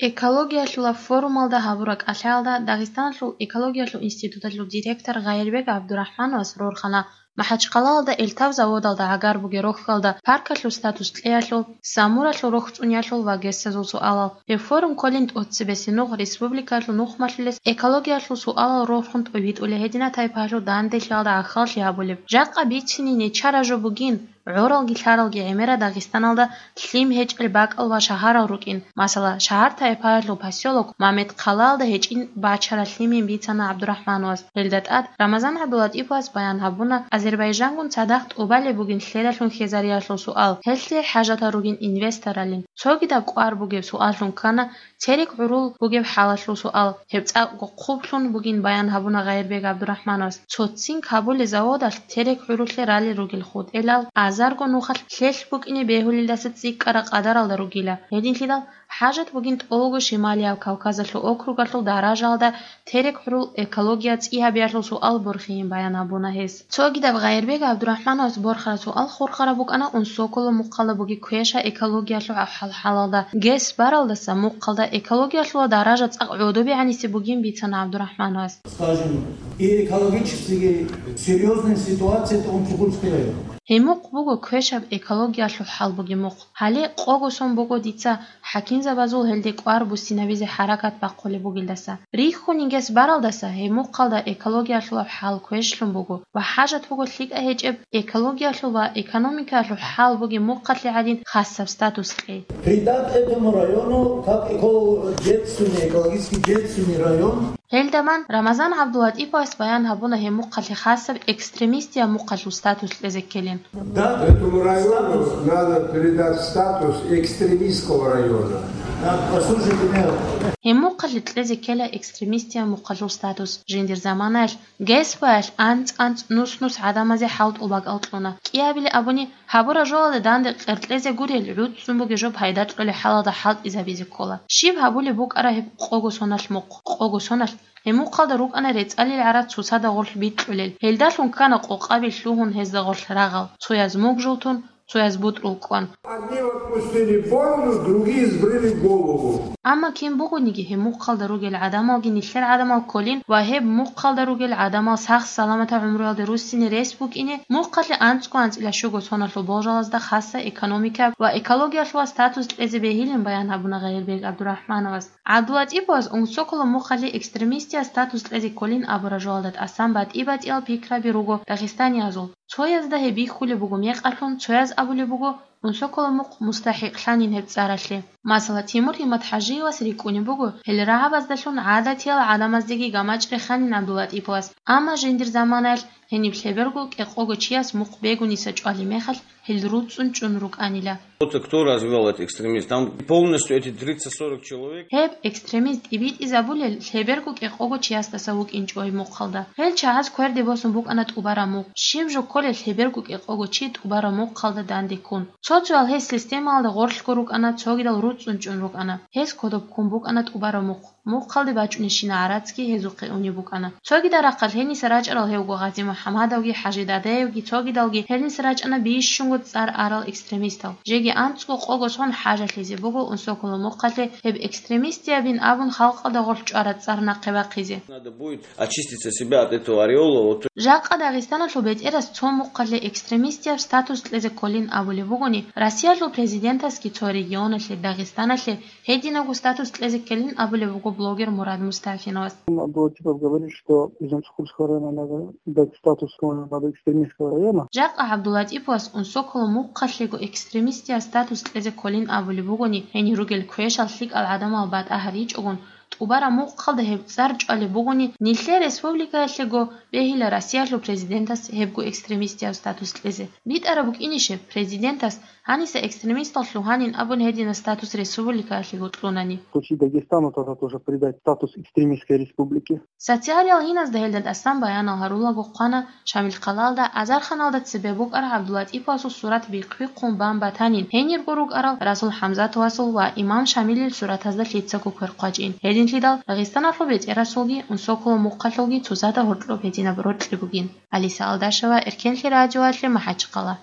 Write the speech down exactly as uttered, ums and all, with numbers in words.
Экологиялъула форумалда гьабураб кӀалъаялда Дагъистаналъул экологиялъул институталъул директор Гъайирбек ГӀабдурахӀмановас рорхана МахӀачхъалаялда элтав заводалда гӀагар бугеб рохьалда паркалъул статус кьеялъул, Самуралъул рохь цӀуниялъул ва гесазул суалал. Гьеб форум кколин тӀоцебесеб нугӀ республикаялъул нухмалъулес экологиялъул суалал рорхун тӀовитӀулеб гьединаб тайпаялъул данделъиялда гӀахьаллъи гьабулеб. Жакъа бицине нечара жо бугин, гӀоралги лъаралги гӀемераб Дагъистаналда лъим гьечӀел бакӀал ва шагьарал рукӀин. Масала, шагьар-тайпаялъул посёлок Мамедхъалаялда гьечӀин бачараб лъимин бицана ГӀабдурахӀмановас. Гьелда тӀад Рамазан ГӀабдулатӀиповас баян гьабуна, Азербайжангун цадахъ тӀубалеб бугин лъелалъун хьезариялъул суал, гьелъие хӀажатал ругин инвесторалин. Цогидаб кӀвар бугеб суаллъун ккана, терек гӀурул бугеб хӀалалъул суал. Гьеб цӀакъго хъублъун бугин баян гьабуна Гъайирбек ГӀабдурахӀмановас. Цо цинк гьабулеб заводалъ терек гӀурулъе ралел ругел хутӀелал азарго нухалъ лъелъ букӀине бегьулелдаса цӀикӀкӀараб къадаралда ругила. Гьединлъидал хӀажат бугин тӀолго Шималияб Кавказалъул округалъул даражаялда терек гӀурул экология цӀи гьабиялъул суал борхиин баян гьабуна гьес. Цогидаб Гъайирбек ГӀабдурахӀмановас борхараб суал хурхараб букӀана Унсоколо мухъалда бугеб квеша экологиялъул гьаб-хӀал-хӀалалда. ГЭС баралдаса мухъалда экологиялъула даража цӀакъ гӀодобе гӀанисе бугин бицана ГӀабдурахӀмановас. Скажем, и экологически серьёзная ситуация это Унсокольский район. Гьеб мухъ буго квешаб экологиялъул хӀал бугеб мухъ. Гьале къого сон буго дица хӀакимзабазул гьелде кӀвар буссинабизе хӀаракат бахъулеб бугелдаса. Рихьунин гес баралдаса гьеб мухъалда экологиялъулаб хӀал квешлъун буго ва хӀажат буго лъикӀа гьечӀеб экологиялъул ва экономикаялъул хӀал бугеб мухъалъе гӀадин хасаб статус кьей. Придать этому району как эко-, бедственный, экологически бедственный район. Гьелдаман Рамазан ГӀабдулатӀиповас баян гьабуна гьеб мухъалъе хасаб экстремистияб мухъалъул статус кьезе ккелин. Да, Этому району статус. Надо передать статус экстремистского района. Да, послушайте меня. Гьеб мухъалъе кьезе ккела экстремистияб мухъалъул статус. Жиндир заманаялъ ГЭС-баялъ анцӀ-анцӀ нус-нус гӀадамазе хӀалтӀул бакӀал кьуна. КӀиабилеб абуни, гьабураб жоялда данде къеркьезе гурел, гӀуцӀцӀун бугеб жо пайда кьолеб хӀалалда хӀалтӀизабизе ккола. Щиб гьабулеб букӀара гьеб къого соналъ мухъ? Къого соналъ гьеб мухъалда рукӀана рецӀалил гӀарац цоцазда гъорлъ бикьулел. Гьелдалъун ккана къокъаби лъугьун гьезда гъорлъ рагъал, цояз мугжул тун, цояз бутӀрул кӀван. Одни отпустили бороду, другие сбрили голову. Амма кин бугониги гьеб мухъалда ругел гӀадамалги нилъер гӀадамал кколин ва гьеб мухъалда ругел гӀадамал сах-саламатаб гӀумруялде руссине рес букӀине, мухъалъе анцӀго-анцӀила щуго соналъул болжалазда хасаб экономикаялъ ва экологиялъулаб статус кьезе бегьилин баян гьабуна Гъайирбек ГӀабдурахӀмановас. ГӀабдулатӀиповас Унсоколо мухъалъе экстремистияб статус кьезе кколин абураб жоялда тӀасан батӀи-батӀиял пикраби руго дагъистаниязул. Цоязда гьеб бихьулеб буго мекъалъун, цояз абулеб буго, Унсоколо мухъ мустахӀикълъанин гьеб цӀаралъе. Масала, Тимур ГьиматхӀажиевас рикӀкӀунеб буго, гьел рагӀабаздалъун гӀадатиял гӀадамаздеги гамачӀ реханин ГӀабдулатӀиповас, амма жиндир заманаялъ гьениб лъеберго кӀикъого чияс мухъ бегуниса чӀвалеб мехалъ, гьел руцӀцӀун чӀун рукӀанила. Вот кто развёл этот экстремизм? Там полностью эти тридцать-сорок человек. Гьеб экстремизм тӀибитӀизабулел лъеберго кӀикъого чиясдаса вукӀинчӀо гьеб мухъалда. Гьел чагӀаз кверде босун букӀана тӀубараб мухъ. Щиб жо кколел лъеберго кӀикъого чи тӀубараб мухъалда данде ккун? Цо-цоял гьез системалда гъорлъго рукӀана, цогидал руцӀцӀун чӀун рукӀана. Гьез кодоб ккун букӀана тӀубараб мухъ. Мухъалде бачӀунебщинаб гӀарацги гьезухъе унеб букӀана. Цогидал рахъалъ гьениса рачӀарал гьевго ГъазимухӀамадовги ХӀажидадеевги, цогидалги гьениса рачӀана бищунго цӀар арал экстремистал. Жеги анцӀго къого сон хӀажалъизе буго Унсоколо мухъалъе гьеб экстремистиябин абун халкъалда гъорлъ чӀвараб цӀар нахъе бахъизе. Надо будет очистить себя от этого ореола, вот. Жакъа Дагъистаналъул бетӀерас цо мухъалъе экстремистияб статус кьезе кколин абулеб бугони, Россиялъул президентасги цо регионалъе, Дагъистаналъе, гьединабго статус кьезе ккелин абулеб буго блогер Мурад Мустафиновас. Абдулатипов говорит, что из Унсокольского района надо дать статус, надо, экстремистского района. Жакъа ГӀабдулатӀиповас Унсоколо мухъалъего экстремистияб статус кьезе кколин абулеб бугони, гьенир ругел квешал лъикӀал гӀадамал батӀа гьаричӀогун, тӀубараб мухъалда гьеб цӀар чӀвалеб бугони, нилъер республикаялъего бегьила Россиялъул президентас гьебго экстремистияб статус кьезе. БитӀараб букӀинищеб, президентас гьаниса экстремистал лъугьанин абун гьединаб статус республикаялъего кьунани? По всей Дагестану тогда тоже придать статус экстремистской республики. Социалиял гьиназда гьелда тӀасан баянал гьарулаго хъвана Шамилхъалаялда азарханалда цебе букӀараб ГӀабдулатӀиповасул сурат бихъ-бихъун бан батанин, гьенирго рукӀарал Расул ХӀамзатовасул ва Имам Шамилил суратазда лъицаго квер хъвачӀин. Гьединлъидал Дагъистаналъул бетӀерасулги Унсоколо мухъалъулги цоцазда гьоркьоб гьединаб рокьи бугин. Алиса Алдашева, Эркенлъи радиоялъе, МахӀачхъала.